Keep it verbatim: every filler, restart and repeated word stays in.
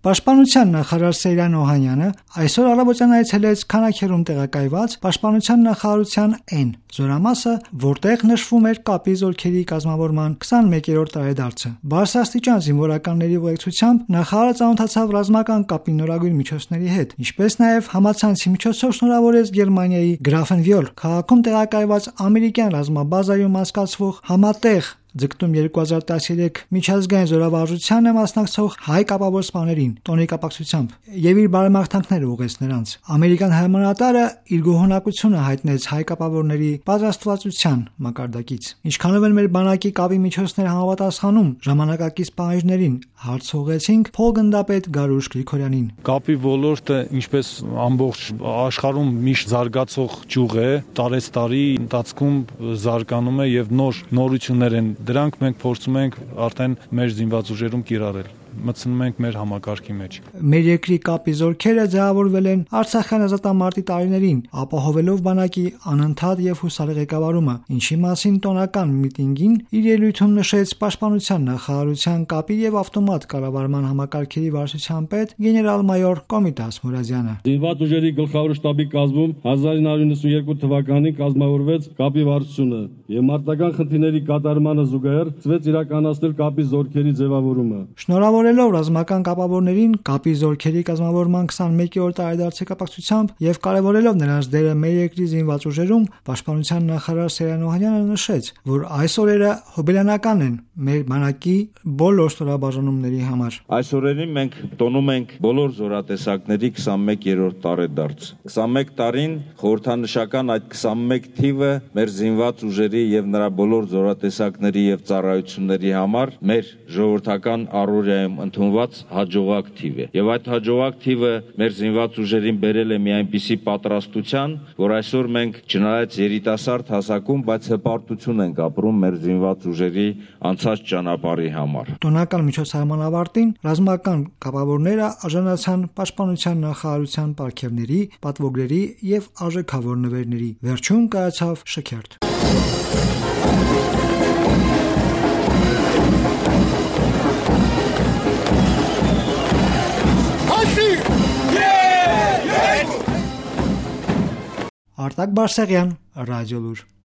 Պաշտպանության նախարար Սեյրան Օհանյանը այսօր առավոտյան այցելեց Քանաքերում տեղակայված Պաշտպանության նախարարության N զորամասը, որտեղ նշվում էր կապի զորքերի կազմավորման քսանմեկերորդ տարեդարձը։ Բարձրաստիճան զինվորականների ուղեկցությամբ նախարարը ծանոթացավ ռազմական կապի նորագույն միջոցների հետ, ինչպես նաև համացանցի միջոցով շնորհավորեց Գերմանիայի Գրաֆենվյոլ քաղաքում տեղակայված ամերիկյան ռազմաբազայում անցկացվող համատեղ ձգտում երկու հազար տասներեք միջազգային զորավարժությանը մասնակցող հայ կապավոր սպաներին տոնի կապակցությամբ եւ իր բարեմաղթանքները ուղղեց նրանց։ Ամերիկան հրամանատարը իր գոհունակությունը հայտնեց հայ կապավորների պատրաստվածության մակարդակից։ Ինչքանով են մեր բանակի կապի միջոցները համապատասխանում ժամանակակից պահանջներին, հարց ուղղեցինք փոխգնդապետ Գարուշ Գրիգորյանին։ Կապի ոլորտը, ինչպես ամբողջ աշխարհում միշտ զարգացող ճյուղ է, տարեցտարի ընթացքում զարգանում է եւ նոր նորություններ են։ Դրանք մենք փորձում ենք արդեն մեր զինված ուժերում կիրառել, մտցնում ենք մեր համակարգի մեջ։ Մեր երկրի կապի զորքերը ձևավորվել են Արցախյան ազատամարտի տարիներին, ապահովելով բանակի անընդհատ եւ հուսալի ղեկավարումը, ինչի մասին տոնական միտինգին իր ելույթում նշեց Պաշտպանության նախարարության կապի եւ ավտոմատ կառավարման համակարգերի վարչության պետ գեներալ-մայոր Կոմիտաս Մուրադյանը։ Զինված ուժերի գլխավոր շտաբի կազմում հազար ինը հարյուր նվսանյոթ թվականին կազմավորվեց կապի վարչությունը եւ մարտական խնդիրների կատարմանը զուգահեռ սկսվեց իրականացնել կապի զորքերի ձևավորումը։ Շնորհավորելով ռազմական կապավորներին կապի զորքերի կազմավորման քսանմեկերորդ տարեդարձի կապակցությամբ եւ կարեւորելով նրանց դերը մեր երկրի զինված ուժերում, Պաշտպանության նախարար Սեյրան Օհանյանը նշեց, որ այս օրերը հոբելյանական են մեր բանակի բոլոր ստորաբաժանումների համար։ Այս օրերին մենք տոնում ենք բոլոր զորատեսակների քսանմեկերորդ տարեդարձ։ քսանմեկ տարին խորհրդանշական այդ քսանմեկ թիվը մեր զինված ուժերի եւ նրա բոլոր զորատեսակների եւ ծառայությունների համար մեր ժողովրդական առօրյայում ընդունված հաջողակ թիվ է։ Եվ այդ հաջողակ թիվը մեր զինված ուժերին բերել է մի այնպիսի պատրաստության, որ այսօր մենք չնայած երիտասարդ հասակում, բայց հպարտություն ենք ապրում մեր զինված ուժերի անցած ճանապարհի համար։ Տոնական միջոցառման ավարտին ռազմական կապավորները արժանացան Պաշտպանության նախարարության պարգևների, պատվոգրերի եւ արժեքավոր նվերների։ Վերջում կայացավ շքերթ։ Արտակ Բարսեղյան, Ռադիոլուր։